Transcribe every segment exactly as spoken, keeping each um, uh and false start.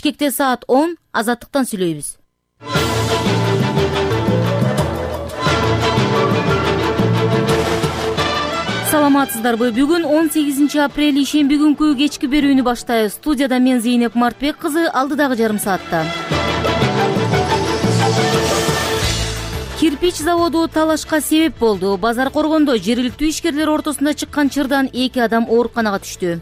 Бишкекте саат он. Азаттыктан сүйлөйбүз. Саламатсыздарбы? Бүгүн он сегизинчи апрель ишемби күнкү кечки берүүнү баштайбыз. Студияда мен Зейнеп Мартбек кызы, алдыдагы жарым саатта. Кирпич заводу талашка себеп болду. Базар Коргондо жергиликтүү ишкерлер ортосунда чыккан чырдан эки адам ооруканага түштү.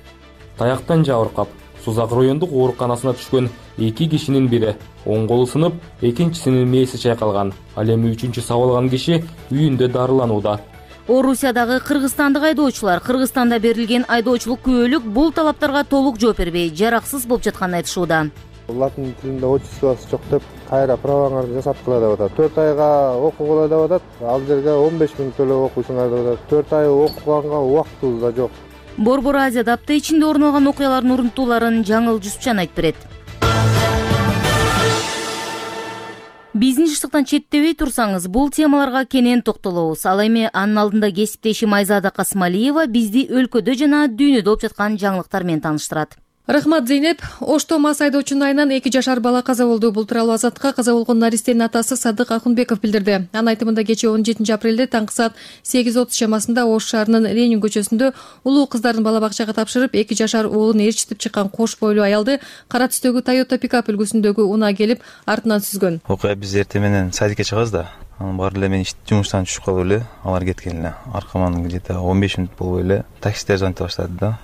Таяктан жабыркап, Сузак райондук ооруканасына түшкөн эки кишинин бири оң колу сынып, экинчисинин мээси чайкалган. Ал эми үчүнчү сабалган киши үйүндө дарыланууда. Орусиядагы кыргызстандык айдоочулар Кыргызстанда берилген айдоочулук күбөлүк бул талаптарга толук жооп бербей, жараксыз болуп жатканын айтышууда. Латын тилинде отчествосы жок деп, кайра праваңарды жасаткыла деп атат. төрт айга окугула деп атат. Ал жерге он беш миң төлөп окуйсуңар деп атат. төрт ай окуганга убактыбыз да жок. Борбор Азияда апта ичинде орун алган окуялардын урунтууларын Жаңыл Жусупчан айтып берет. Бизнес ыштыктан четтебей турсаңыз, бул темаларга кенен токтолобуз. Ал эми анын алдында кесиптешим Айзада Касмалиева бизди өлкөдө жана дүйнөдө болуп жаткан жаңылыктар менен тааныштырат. Рахмат, Зейнеп. Ошто мас айдоочунун айынан эки жашар бала каза болду. Бул тууралуу Азаттыкка каза болгон наристенин атасы Садык Акунбеков билдирди. Анын айтымында кечээ он жетинчи апрелде таңкы саат сегиз отуз чамасында Ош шаарынын Ленин көчөсүндө улуу кыздарын бала бакчага тапшырып, эки жашар уулун ээрчитип чыккан кош бойлуу аялды кара түстөгү Toyota пикап үлгүсүндөгү унаа келип артынан сүзгөн. Окуя биз эртең менен садикке чыгабыз да. Анан баары эле мен жумуштан түшүп калып эле, алар кеткен эле. Аркаман где-то он беш мүнөт болбой эле таксистер звонить баштады да.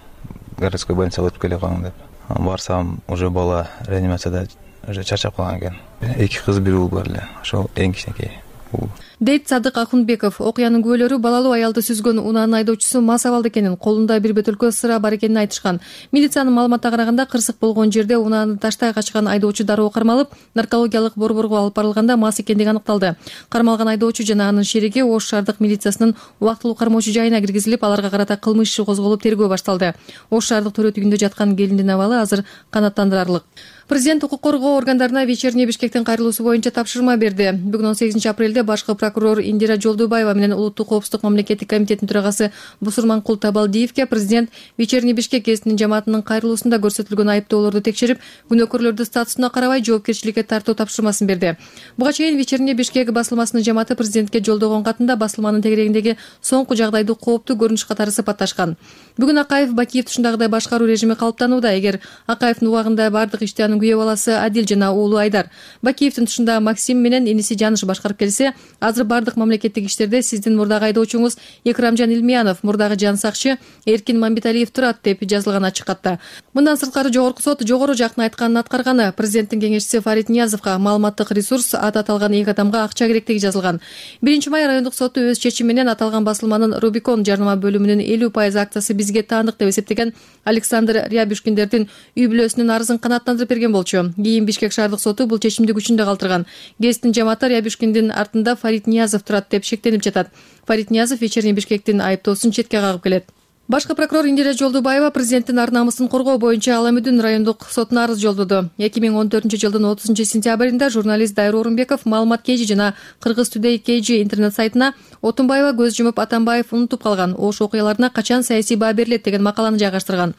Городской больницага өтүп келе калың деп. Барсам, уже бала реанимацияда уже чарчап калган экен. Эки кыз, бир уул бар эле. Ошол эң кичинекей уул. Дейт Садык Акунбеков. Окуянын күбөлөрү балалуу аялды сүзгөн унаанын айдоочусу мас абалда экенин, колунда бир бөтөлкө сыра бар экенин айтышкан. Милициянын маалыматына караганда, кырсык болгон жерде унааны таштай качкан айдоочу дароо кармалып, наркологиялык борборго алып барылганда мас экендиги аныкталды. Кармалган айдоочу жана анын шериги Ош шаардык милициясынын убактылуу кармоочу жайына киргизилип, аларга карата кылмыш иши козголуп, тергөө башталды. Ош шаардык төрөт үйүндө жаткан келиндин абалы азыр канааттандырарлык. Президент укук коргоо органдарына вечерний Бишкектин кайрылуусу боюнча тапшырма берди. Бүгүн он сегизинчи апрелде башкы прокурор Индира Жолдубаева менен Улуттук коопсуздук мамлекеттик комитетинин төрагасы Бусурманкул Табалдиевке президент вечерний Бишкек гезитинин жамаатынын кайрылуусунда көрсөтүлгөн айыптоолорду текшерип, күнөөкөрлөрдү статусуна карабай жоопкерчиликке тартуу тапшырмасын берди. Буга чейин вечерний Бишкек басылмасынын жамааты президентке жолдогон катында басылманын тегерегиндеги соңку жагдайды кооптуу көрүнүш катары сыпатташкан. Бүгүн Акаев Бакиев тушундагыдай башкаруу режими калыптанууда. Эгер Акаевдин убагында бардык ишти анын күйөө баласы Адил жана уулу Айдар, Бакиевдин тушунда Максим менен иниси Жаныш башкарып келсе, азыр бардык мамлекеттик иштерде сиздин мурдагы айдоочуңуз Экрамжан Илмиянов, мурдагы жан сакчы Эркин Мамбеталиев турат деп жазылган ачык катта. Мындан сырткары жогорку сот жогору жактын айтканын аткарганы. Президенттин кеңешчиси Фарид Ниязовго маалыматтык ресурс аты аталган эки адамга акча керектиги жазылган. биринчи май райондук соту өз чечими менен аталган басылманын Рубикон жарнама бөлүмүнүн элүү пайыз акциясы бизге таандык деп эсептеген Александр Рябушкиндердин үй бүлөсүнүн арызын канааттандырып берген болчу. Кийин Бишкек шаардык соту бул чечимди күчүндө калтырган. Гезиттин жамааты Рябушкиндин артында Фарид Ниязов турат деп шектенип жатат. Фарид Ниязов вечерний Бишкектин айыптоосун четке кагып келет. Башкы прокурор Индира Жолдубаева президенттин ар намысын коргоо боюнча Аламүдүн райондук сотуна арыз жолдоду. эки миң он төртүнчү жылдын отузунчу сентябрында журналист Дайыр Орунбеков Маалымат Кежи жана Кыргыз Today Кежи интернет сайтына Отунбаева көз жумуп Атамбаев унутуп калган, Ош окуяларына качан саясий баа берилет деген макаланы жайгаштырган.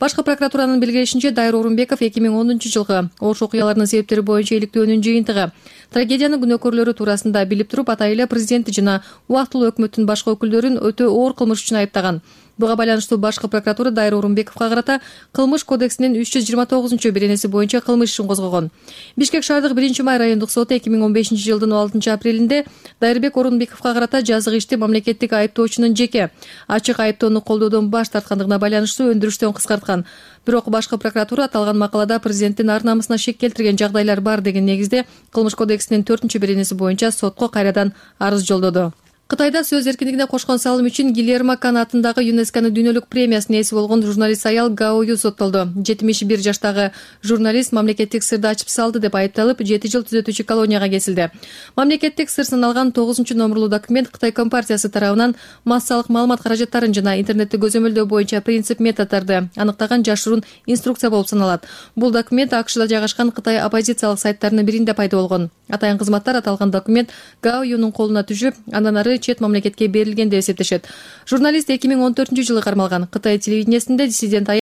Башкы прокуратуранын белгилешинче, Дайыр Орунбеков эки миң онунчу жылкы Ош окуяларынын себептери боюнча иликтөөнүн жыйынтыгы. Трагедиянын күнөөкөрлөрү туурасында билип туруп, атайын эле президенти жана убактылуу өкмөттүн башка өкүлдөрүн өтө оор кылмыш үчүн айыптаган. Буга байланыштуу башкы прокуратура Дайыр Орунбековго карата кылмыш кодексинин үч жүз жыйырма тогузунчу беренеси боюнча кылмыш ишин козгогон. Бишкек шаардык биринчи май райондук соту эки миң он бешинчи жылдын он алтынчы апрелинде Дайырбек Орунбековго карата жазык ишти мамлекеттик айыптоочунун жеке ачык айыптоону колдоодон баш тарткандыгына байланыштуу өндүрүштөн кыскарткан. Бирок башкы прокуратура аталган макалада президенттин ар намысына шек келтирген жагдайлар бар деген негизде кылмыш кодексинин төртүнчү беренеси боюнча сотко кайрадан арыз жолдоду. Кытайда сөз эркиндигине кошкон салым үчүн Гильермо Кан атындагы ЮНЕСКОнун дүйнөлүк премиясынын ээси болгон журналист аял Гао Ю соттолду. жетимиш бир жаштагы журналист мамлекеттик сырды ачып салды деп айыпталып, жети жыл түзөтүүчү колонияга кесилди. Мамлекеттик сыр саналган тогузунчу номерлуу документ Кытай компартиясы тарабынан массалык маалымат каражаттарын жана интернетти көзөмөлдөө боюнча принцип методдорду аныктаган жашыруун инструкция болуп саналат. Бул документ АКШда жайгашкан Кытай оппозициялык сайттарынын биринде пайда болгон. Атайын кызматтар аталган документ Гао Юнун колуна түшүп, андан ары чет мамлекетке берилген деп эсептешет. Журналист эки миң он төртүнчү жылы кармалган. Кытай телевидениесинде диссидент